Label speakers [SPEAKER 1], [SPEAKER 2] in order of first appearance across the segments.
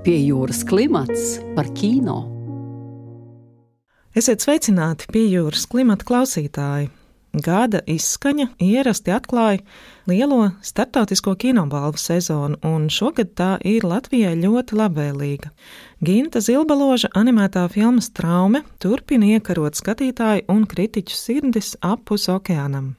[SPEAKER 1] Pie jūras klimats par kino.
[SPEAKER 2] Esiet sveicināti Pie jūras klimata klausītāji. Gada izskaņa ierasti atklāja lielo starptautisko kinobalvu sezonu, un šogad tā ir Latvijai ļoti labvēlīga. Ginta Zilbaloža animētā filma Straume turpina iekarot skatītāju un kritiķu sirdis apus okeānam.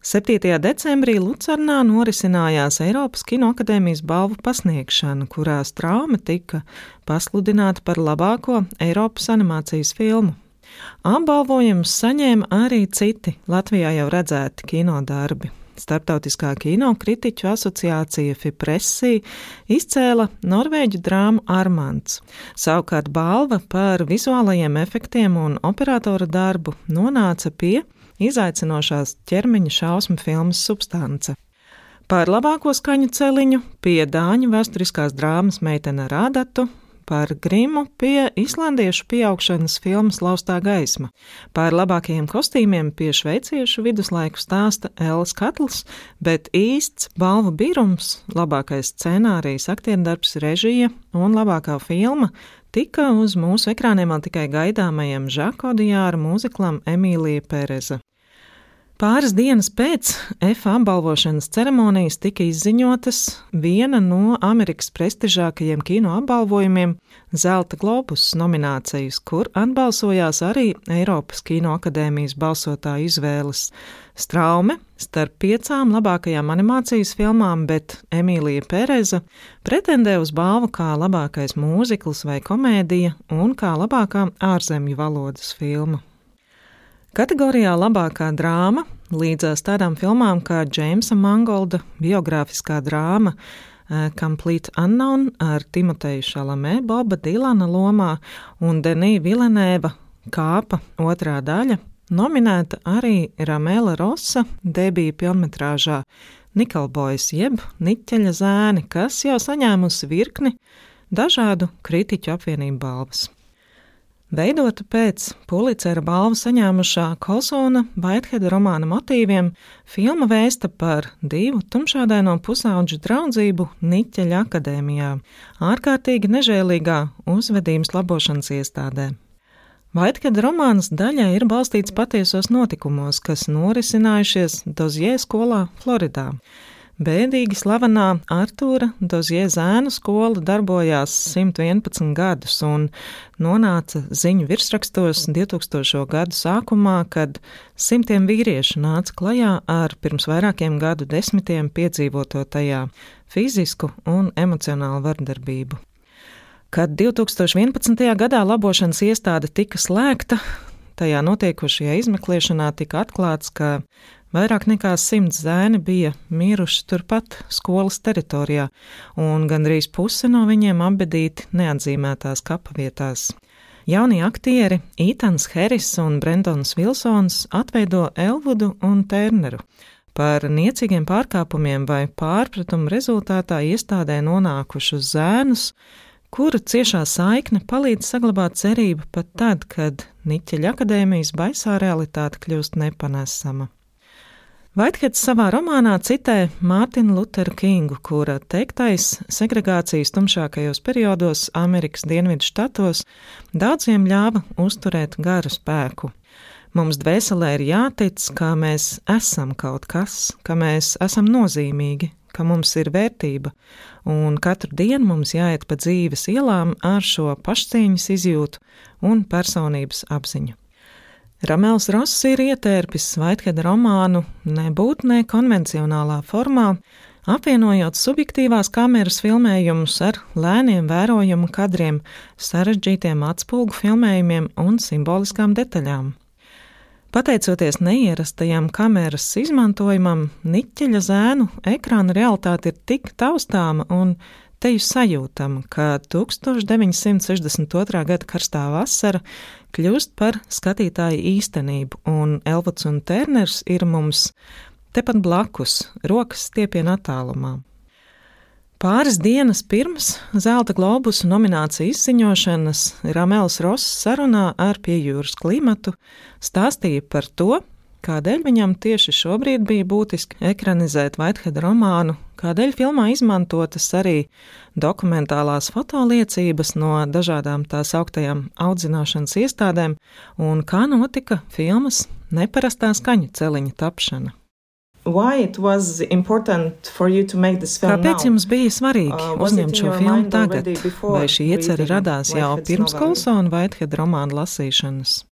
[SPEAKER 2] 7. decembrī Lucernā norisinājās Eiropas Kinoakadēmijas balvu pasniegšana, kurā Straume tika pasludināta par labāko Eiropas animācijas filmu. Apbalvojumus saņēma arī citi Latvijā jau redzēti kinodarbi. Starptautiskā kinokritiķu asociācija FIPRESSI izcēla norvēģu drāmu Armands. Savukārt balva par vizuālajiem efektiem un operatora darbu nonāca pie izaicinošās ķermeņa šausmu filmas Substance. Par labāko skaņu celiņu pie dāņu vēsturiskās drāmas Meitene ar ādatu, par grimu pie islandiešu pieaugšanas filmas Laustā gaisma, par labākajiem kostīmiem pie šveiciešu viduslaiku stāsta Ellas Katls, bet īsts balvu birums, labākais scenārijs, aktierdarbs, režija un labākā filma tika uz mūsu ekrāniem tikai gaidāmajam Žako Dijāra mūziklam Emīlija Pereza. Pāris dienas pēc EFA apbalvošanas ceremonijas tika izziņotas viena no Amerikas prestižākajiem kino apbalvojumiem – Zelta globus nominācijas, kur atbalsojās arī Eiropas Kinoakadēmijas balsotāju izvēles. Straume starp 5 labākajām animācijas filmām, bet Emīlija Pereza pretendē uz balvu kā labākais mūzikls vai komēdija un kā labākā ārzemju valodas filma. Kategorijā labākā drāma līdzās tādām filmām kā Džeimsa Mangolda biogrāfiskā drāma Complete Unknown ar Timoteju Šalamē, Boba Dilana lomā un Denī Vilenēva Kāpa otrā daļa, nominēta arī Ramela Rosa debija pilnmetrāžā Nikolbojas jeb Niķeļa zēni, kas jau saņēmusi virkni dažādu kritiķu apvienību balvas. Veidota pēc Pulicera balvu saņēmušā Colsona Whiteheada romāna motīviem, filma vēsta par 2 tumšādaino pusauģu draudzību Niķeļa akadēmijā, ārkārtīgi nežēlīgā uzvedības labošanas iestādē. Whiteheada romāns daļai ir balstīts patiesos notikumos, kas norisinājušies Dozjē skolā Floridā. Bēdīgi slavenā Artūra Dozjē zēnu skola darbojās 111 gadus un nonāca ziņu virsrakstos 2000. Gadu sākumā, kad simtiem vīriešu nāca klajā ar pirms vairākiem gadu desmitiem piedzīvoto tajā fizisku un emocionālu vardarbību. Kad 2011. gadā labošanas iestāde tika slēgta, tajā notiekošajā izmeklēšanā tika atklāts, ka vairāk nekā 100 zēni bija miruši turpat skolas teritorijā, un gandrīz puse no viņiem apbedīti neatzīmētās kapavietās. Jaunie aktieri Ethans Harris un Brendons Vilsons atveido Elvudu un Terneru. Par niecīgiem pārkāpumiem vai pārpratumu rezultātā iestādē nonākušus zēnus, kura ciešā saikne palīdz saglabāt cerību pat tad, kad Niķeļa akadēmijas baisā realitāte kļūst nepanesama. Whiteheads savā romānā citē Mārtinu Luteru Kingu, kura teiktais segregācijas tumšākajos periodos Amerikas dienvidu štatos daudziem ļāva uzturēt garu spēku. Mums dvēselē ir jātic, ka mēs esam kaut kas, ka mēs esam nozīmīgi, ka mums ir vērtība, un katru dienu mums jāiet pa dzīves ielām ar šo pašcieņas izjūtu un personības apziņu. Ramels Ross ir ietērpis Whiteheada romānu nebūtnē konvencionālā formā, apvienojot subjektīvās kameras filmējumus ar lēniem vērojumu kadriem, sarežģītiem atspulgu filmējumiem un simboliskām detaļām. Pateicoties neierastajam kameras izmantojumam, Niķeļa zēnu ekrāna realitāte ir tik taustāma un teju sajūtama, ka 1962. Gada karstā vasara kļūst par skatītāju īstenību, un Elvuds un Terners ir mums tepat blakus, rokas stiepiena attālumā. Pāris dienas pirms Zelta globusu nomināciju izziņošanas Ramels Ross sarunā ar Pie jūras klimatu stāstīja par to, kādēļ viņam tieši šobrīd bija būtiski ekranizēt Whiteheada romānu kādēļ filmā izmantotas arī dokumentālās fotoliecības no dažādām tās augtajām audzināšanas iestādēm un kā notika filmas neparastā skaņu celiņa tapšana. Kāpēc jums bija svarīgi uzņemt šo filmu tagad? Vai šī iecerē radās jau pirms Colsona Whitehead romāna lasīšanas?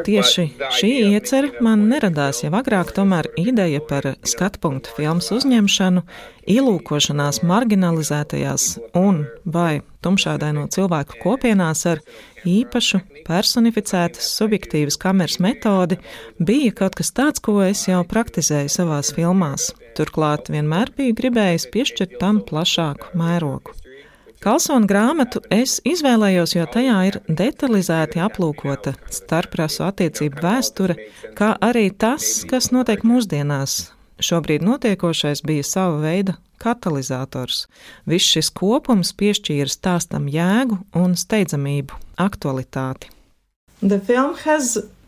[SPEAKER 2] Tieši šī iecerē man neradās jau agrāk, tomēr ideja par skatpunktu filmas uzņemšanu, ielūkošanās marginalizētajās un vai tumšādaino cilvēku kopienās ar īpašu, personificētas, subjektīvas kameras metodi bija kaut kas tāds, ko es jau praktizēju savās filmās. Turklāt vienmēr biju gribējis piešķirt tam plašāku mērogu. Colsona grāmatu es izvēlējos, jo tajā ir detalizēti aplūkota starprasu attiecību vēsture, kā arī tas, kas notiek mūsdienās. Šobrīd notiekošais bija sava veida katalizators. Viss šis kopums piešķīra stāstam jēgu un steidzamību, aktualitāti.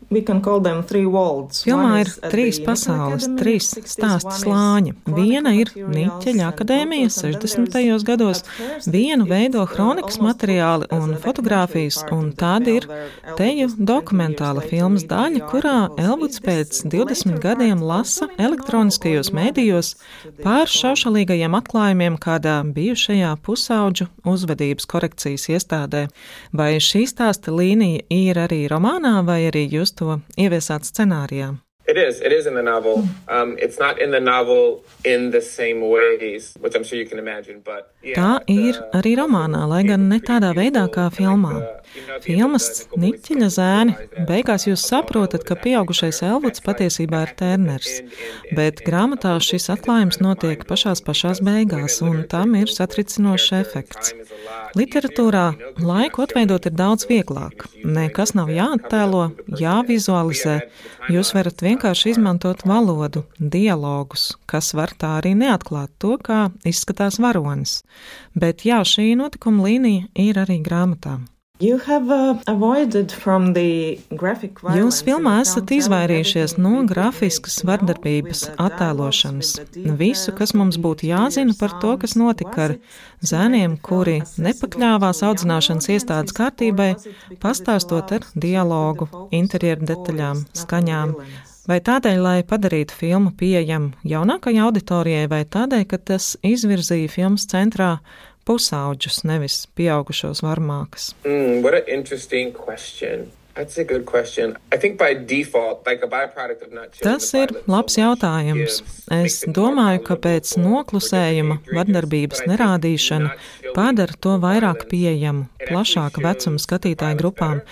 [SPEAKER 2] Filmā ir 3 pasaules, 3 stāsta slāņi. Viena ir Niķeļa akadēmija 60. gados, vienu veido hronikas materiāli un fotogrāfijas, un tāda ir teju dokumentāla filmas daļa, kurā Elvuds pēc 20 gadiem lasa elektroniskajos mēdījos pār šaušalīgajiem atklājumiem kādā bijušajā pusauģu uzvedības korekcijas iestādē. Vai šī stāsta līnija ir arī romānā, vai arī jūs to ieviesāt scenārijā?
[SPEAKER 3] It is in the novel. It's not in the novel in the same ways, which I'm sure you can imagine, but
[SPEAKER 2] tā ir arī romānā, lai gan ne tādā veidā kā filmā. Filmas Niķeļa zēni beigās jūs saprotat, ka pieaugušais Elvuds patiesībā ir Terners, bet grāmatā šis atklājums notiek pašās beigās, un tam ir satricinošs efekts. Literatūrā laiku atveidot ir daudz vieglāk. Nekas nav jāattēlo, jāvizualizē. Jūs varat vienkārši izmantot valodu, dialogus, kas var tā arī neatklāt to, kā izskatās varonis. Bet jā, šī notikuma līnija ir arī grāmatā. Jūs filmā esat izvairījušies no grafiskas vardarbības attēlošanas. Visu, kas mums būtu jāzina par to, kas notika ar zēniem, kuri nepakļāvās audzināšanas iestādes kārtībai, pastāstot ar dialogu, interjeru detaļām, skaņām. Vai tādēļ, lai padarītu filmu pieejamu jaunākajai auditorijai, vai tādēļ, ka tas izvirzīja filmas centrā pusauģus, nevis pieaugušos varmākas?
[SPEAKER 3] What an interesting question. That's a good question. I think by default, like a byproduct of not showing
[SPEAKER 2] Tas ir labs jautājums. Es domāju, ka pēc noklusējuma vardarbības nerādīšana padara to vairāk pieejamu, plašāka vecuma skatītāju grupām,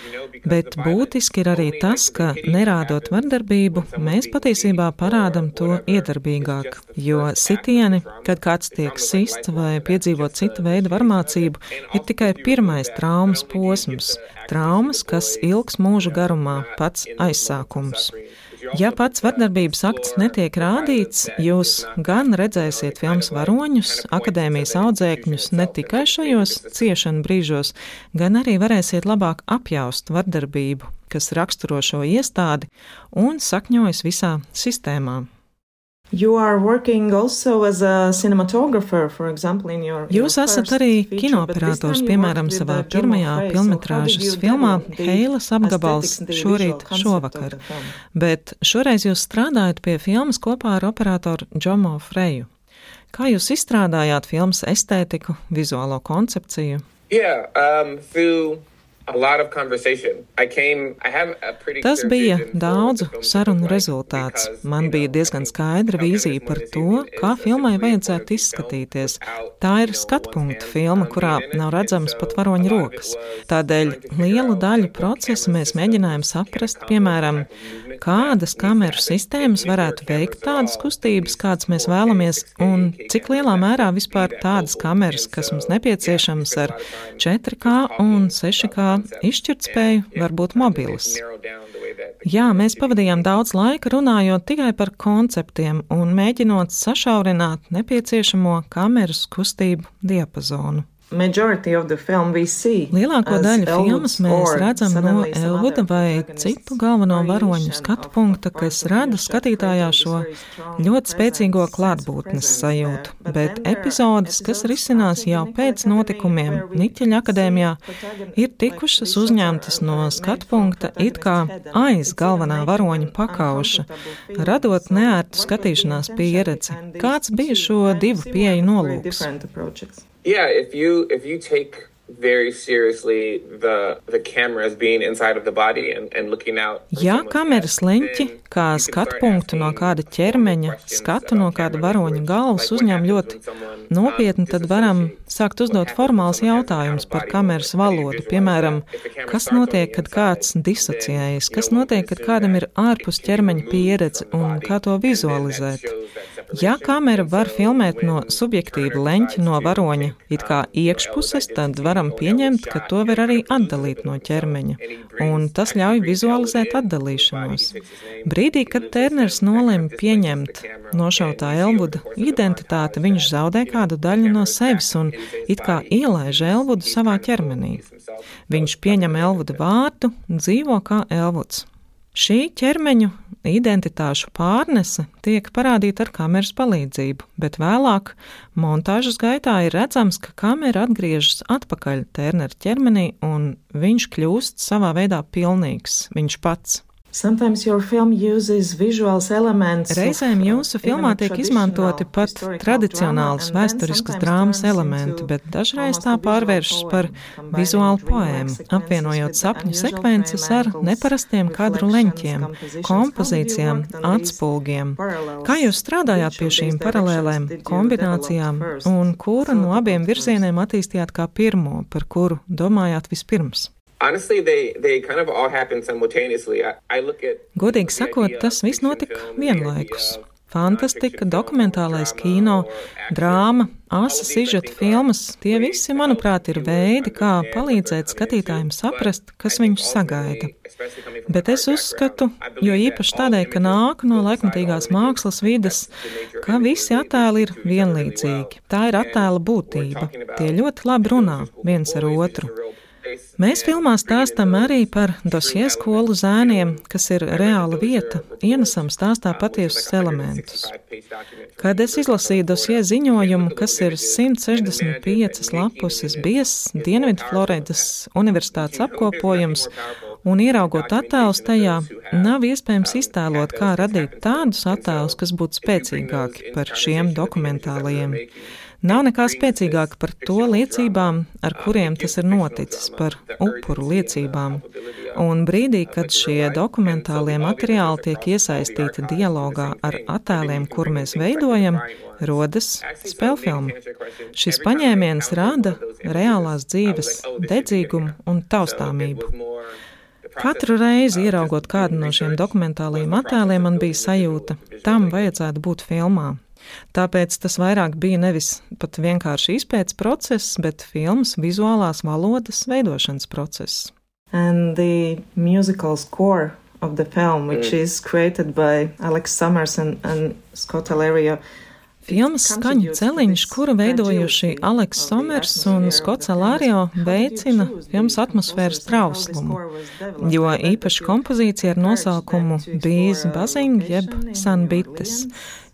[SPEAKER 2] bet būtiski ir arī tas, ka nerādot vardarbību, mēs patiesībā parādam to iedarbīgāk, jo sitieni, kad kāds tiek sists vai piedzīvot cita veida varmācību, ir tikai pirmais traumas posms. Traumas, kas ilgs mūža garumā, pats aizsākums. Ja pats vardarbības akts netiek rādīts, jūs gan redzēsiet filmas varoņus, akadēmijas audzēkņus ne tikai šajos ciešanu brīžos, gan arī varēsiet labāk apjaust vardarbību, kas raksturo šo iestādi un sakņojas visā sistēmā. Jūs esat arī kinoperators, piemēram, savā pirmajā filmetrāžas filmā Heilas apgabals šorīt šovakar, bet šoreiz jūs strādājat pie filmas kopā ar operatoru Džomo Freju. Kā jūs izstrādājāt filmas estētiku, vizuālo koncepciju? Tas bija daudzu sarunu rezultāts. Man bija diezgan skaidra vīzija par to, kā filmai vajadzētu izskatīties. Tā ir skatpunkta filma, kurā nav redzams pat varoņa rokas. Tādēļ lielu daļu procesa mēs mēģinājām saprast, piemēram, kādas kameru sistēmas varētu veikt tādas kustības, kādas mēs vēlamies, un cik lielā mērā vispār tādas kameras, kas mums nepieciešamas ar 4K un 6K izšķirtspēju, var būt mobilas. Jā, mēs pavadījām daudz laika runājot tikai par konceptiem un mēģinot sašaurināt nepieciešamo kameras kustību diapazonu. Lielāko daļu filmas mēs redzam no Elvuda vai citu galveno varoņu skatu punkta, kas rada skatītājā šo ļoti spēcīgo klātbūtnes sajūtu, bet epizodes, kas risinās jau pēc notikumiem Niķeļa akadēmijā, ir tikušas uzņemtas no skatu punkta it kā aiz galvenā varoņa pakauša, radot neērtu skatīšanās pieredzi. Kāds bija šo divu pieeju nolūks?
[SPEAKER 3] Yeah, if you take very seriously the camera as being inside of the body and looking out.
[SPEAKER 2] Ja kameras leņķi, kā skatu punktu no kāda ķermeņa, skatu no kāda varoņa galvas uzņem ļoti nopietni, tad varam sākt uzdot formāls jautājums par kameras valodu. Piemēram, kas notiek, kad kāds disociējas, kas notiek, kad kādam ir ārpus ķermeņa pieredze un kā to vizualizēt. Ja kamera var filmēt no subjektīva leņķa no varoņa, it kā iekšpuses, tad varam pieņemt, ka to var arī atdalīt no ķermeņa, un tas ļauj vizualizēt atdalīšanos. Brīdī, kad Terners nolēma pieņemt nošautā Elvuda identitāti, viņš zaudē kādu daļu no sevis un it kā ielaiž Elvudu savā ķermenī. Viņš pieņem Elvuda vārdu, dzīvo kā Elvuds. Šī ķermeņu identitāšu pārnese tiek parādīta ar kameras palīdzību, bet vēlāk montāžas gaitā ir redzams, ka kamera atgriežas atpakaļ Ternera ķermenī un viņš kļūst savā veidā pilnīgs, viņš pats. Reizēm jūsu filmā tiek izmantoti pat tradicionālas vēsturiskas drāmas elementi, bet dažreiz tā pārvēršas par vizuālu poēmu, apvienojot sapņu sekvences ar neparastiem kadru leņķiem, kompozīcijām, atspulgiem. Kā jūs strādājāt pie šīm paralēlēm, kombinācijām, un kuru no abiem virzieniem attīstījāt kā pirmo, par kuru domājāt vispirms?
[SPEAKER 3] Honestly, they kind of all happen simultaneously. I look at.
[SPEAKER 2] Godīgi sakot, tas viss notika vienlaikus. Fantastika, dokumentālais kino, drāma, asa sižeta filmas, tie visi, manuprāt, ir veidi, kā palīdzēt skatītājiem saprast, kas viņus sagaida. Bet es uzskatu, jo īpaši tādēļ, ka nāk no laikmatīgās mākslas vides, ka visi attēli ir vienlīdzīgi. Tā ir attēla būtība. Tie ļoti labi runā viens ar otru. Mēs filmā stāstam arī par Dosjē skolu zēniem, kas ir reāla vieta, ienesam stāstā patiesus elementus. Kad es izlasīju Dosjē ziņojumu, kas ir 165 lapuses biezs Dienvidfloridas universitātes apkopojums, un ieraugot attēlus tajā, nav iespējams iztēlot, kā radīt tādus attēlus, kas būtu spēcīgāki par šiem dokumentālajiem. Nav nekā spēcīgāka par to liecībām, ar kuriem tas ir noticis, par upuru liecībām. Un brīdī, kad šie dokumentālie materiāli tiek iesaistīti dialogā ar attēliem, kur mēs veidojam, rodas spēlfilma. Šis paņēmiens rada reālās dzīves dedzīgumu un taustāmību. Katru reizi, ieraugot kādu no šiem dokumentālajiem attēliem, man bija sajūta, tam vajadzētu būt filmā. Tāpēc tas vairāk bija nevis pat vienkārši izpētes process, bet filmas vizuālās valodas veidošanas process.
[SPEAKER 4] And the musical score of the film, which is created by Alex Summers and Scott Alario.
[SPEAKER 2] Filmas skaņu celiņš, kuru veidojuši Aleks Somers un Skots Alario, veicina filmas atmosfēras trauslumu, jo īpaši kompozīcija ar nosaukumu Bees Buzzing jeb Sunbites.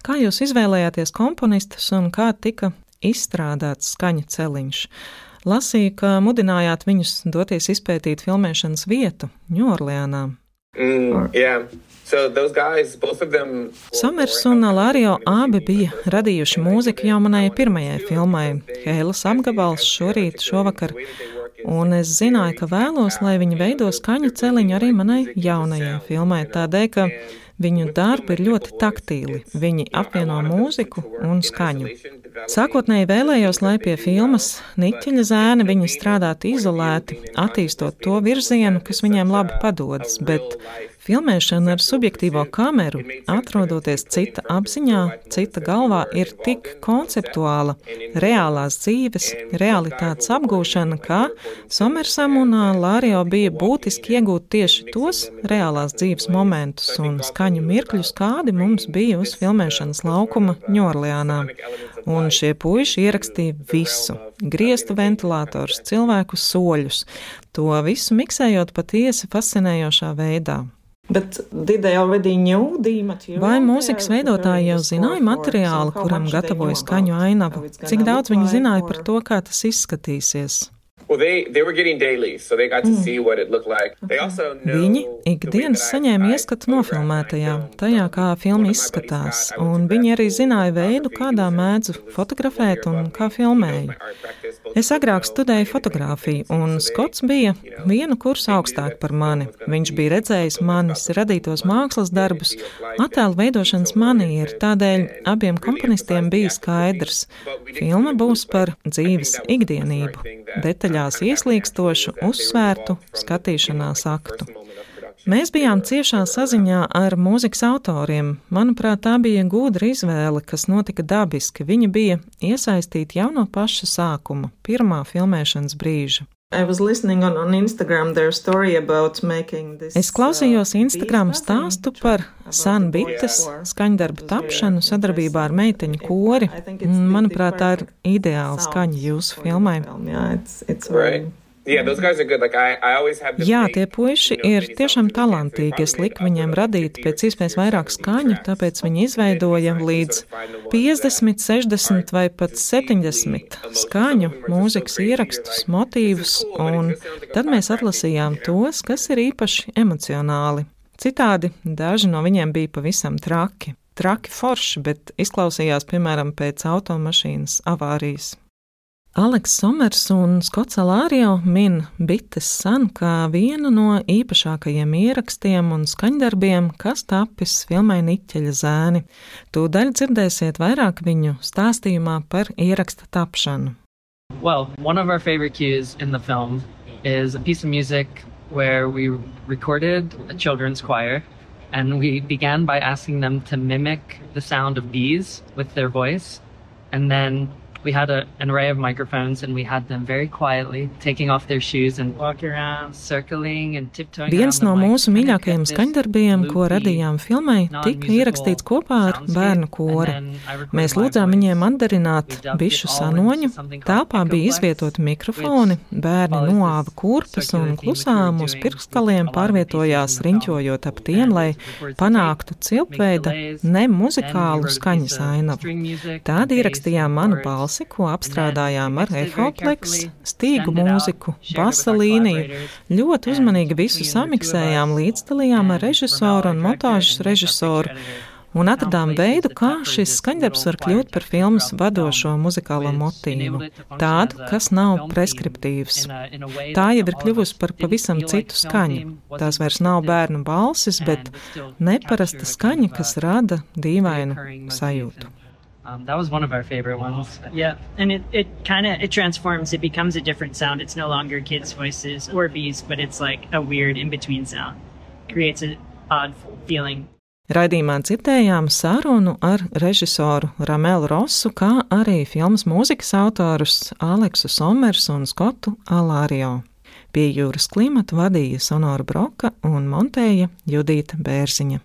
[SPEAKER 2] Kā jūs izvēlējāties komponistus un kā tika izstrādāts skaņu celiņš? Lasīju, ka mudinājāt viņus doties izpētīt filmēšanas vietu Ņūorleānā.
[SPEAKER 3] Yeah. So those guys, both of them.
[SPEAKER 2] Somers un Alario abi bija radījuši mūziku jau manai pirmajai filmai, Heilas apgabals šovakar, un es zināju, ka vēlos, lai viņi veido skaņu celiņu arī manai jaunajai filmai, tādēļ, ka viņu darbi ir ļoti taktīli, viņi apvieno mūziku un skaņu. Sākotnēji vēlējos, lai pie filmas Niķeļa zēni viņi strādātu izolēti, attīstot to virzienu, kas viņiem labi padodas, bet Filmēšana ar subjektīvo kameru, atrodoties cita apziņā, cita galvā, ir tik konceptuāla, reālās dzīves, realitātes apgūšana, ka Somersam un Lārio bija būtiski iegūt tieši tos reālās dzīves momentus un skaņu mirkļus, kādi mums bija uz filmēšanas laukuma Ņorleānā. Un šie puiši ierakstīja visu – griestu ventilatorus, cilvēku soļus, to visu miksējot patiesi fascinējošā veidā. Vai mūzikas veidotāji jau zināja materiālu, kuram gatavoja skaņu ainavu? Cik daudz viņi zināja par to, kā tas izskatīsies?
[SPEAKER 3] Well, they were getting dailies, so they got to see what it looked like. They also know
[SPEAKER 2] Viņi ikdienas saņēma ieskatu nofilmētajā, tajā, kā filma izskatās, un viņi arī zināja veidu, kādā mēdzu fotografēt un kā filmēju. Es agrāk studēju fotogrāfiju, un Skots bija vienu kursu augstāk par mani. Viņš bija redzējis manis radītos mākslas darbus, attēlu veidošanas manieru, tādēļ abiem komponistiem bija skaidrs. Filma būs par dzīves ikdienību, detaļās ieslīkstošu, uzsvērtu skatīšanās aktu. Mēs bijām ciešā saziņā ar mūzikas autoriem. Manuprāt, tā bija gudra izvēle, kas notika dabiski. Viņi bija iesaistīti jau no paša sākuma, pirmā filmēšanas brīža. Es klausījos Instagram stāstu par San Bites skaņdarbu tapšanu sadarbībā ar meiteņu kori. Manuprāt, tā ir ideāla skaņa jūsu filmai. Jā, tie puiši ir tiešām talantīgi. Es liku viņiem radīt pēc iespējas vairāk skaņu, tāpēc viņi izveidoja līdz 50, 60 vai pat 70 skaņu, mūzikas ierakstus, motīvus, un tad mēs atlasījām tos, kas ir īpaši emocionāli. Citādi daži no viņiem bija pavisam traki. Traki forši, bet izklausījās, piemēram, pēc automašīnas avārijas. Aleks Somers un Skots Lārio min Bites San kā vienu no īpašākajiem ierakstiem un skaņdarbiem, kas tapis filmai Niķeļa zēni. Tūdaļ dzirdēsiet vairāk viņu stāstījumā par ieraksta tapšanu.
[SPEAKER 5] Well, one of our favorite cues in the film is a piece of music where we recorded a children's choir, and we began by asking them to mimic the sound of bees with their voice, and then we had an array of microphones, and we had them very quietly taking off their shoes and walking around, circling and tiptoeing around the mic.
[SPEAKER 2] Viens no mūsu mīļākajiem skaņdarbiem, ko radījām filmai, tika ierakstīts kopā ar bērnu kori. Mēs lūdzām viņiem atdarināt bišu sanoņu, telpā bija izvietoti mikrofoni, bērni noāva kurpes un klusām uz pirkskaliem pārvietojās riņķojot ap tiem, lai panāktu cilpveida nemuzikālu skaņas ainavu. Tād ierakstījām manu balsi, ko apstrādājām ar Echoplex, stīgu mūziku, basa līniju, ļoti uzmanīgi visu samiksējām, līdzdalījām ar režisoru un montāžas režisoru un atradām veidu, kā šis skaņdarbs var kļūt par filmas vadošo muzikālo motīvu, tādu, kas nav preskriptīvs. Tā jau ir kļuvusi par pavisam citu skaņu. Tās vairs nav bērnu balsis, bet neparasta skaņa, kas rada dīvainu sajūtu.
[SPEAKER 5] That was one of our favorite ones.
[SPEAKER 6] Yeah, and it transforms. It becomes a different sound. It's no longer kids' voices or bees, but it's like a weird in-between sound. Creates an odd feeling.
[SPEAKER 2] Raidījumā dzirdējām sarunu ar režisoru Ramelu Rosu, kā arī filmas mūzikas autorus Aleksu Somersu un Skotu Lārio. Pie Jūras klimata vadīja Sonora Broka un montēja Judīta Bērziņa.